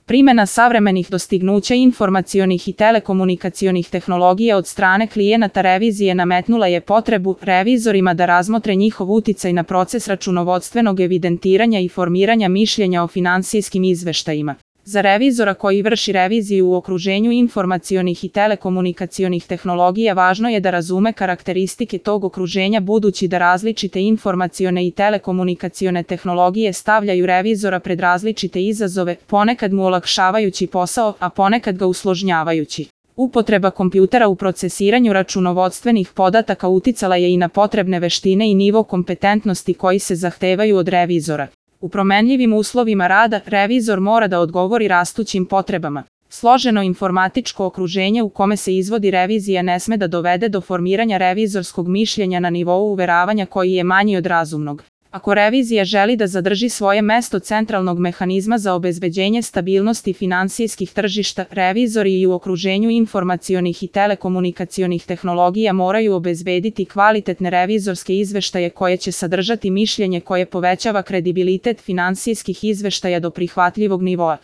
Primjena savremenih dostignuća informacionih i telekomunikacionih tehnologija od strane klijenata revizije nametnula je potrebu revizorima da razmotre njihov uticaj na proces računovodstvenog evidentiranja i formiranja mišljenja o finansijskim izveštajima. Za revizora koji vrši reviziju u okruženju informacionih i telekomunikacionih tehnologija važno je da razume karakteristike tog okruženja, budući da različite informacione i telekomunikacione tehnologije stavljaju revizora pred različite izazove, ponekad mu olakšavajući posao, a ponekad ga usložnjavajući. Upotreba kompjutera u procesiranju računovodstvenih podataka uticala je i na potrebne veštine i nivo kompetentnosti koji se zahtevaju od revizora. U promenljivim uslovima rada, revizor mora da odgovori rastućim potrebama. Složeno informatičko okruženje u kome se izvodi revizija ne sme da dovede do formiranja revizorskog mišljenja na nivou uveravanja koji je manji od razumnog. Ako revizija želi da zadrži svoje mesto centralnog mehanizma za obezbeđenje stabilnosti finansijskih tržišta, revizori i u okruženju informacionih i telekomunikacionih tehnologija moraju obezbediti kvalitetne revizorske izveštaje koje će sadržati mišljenje koje povećava kredibilitet finansijskih izveštaja do prihvatljivog nivoa.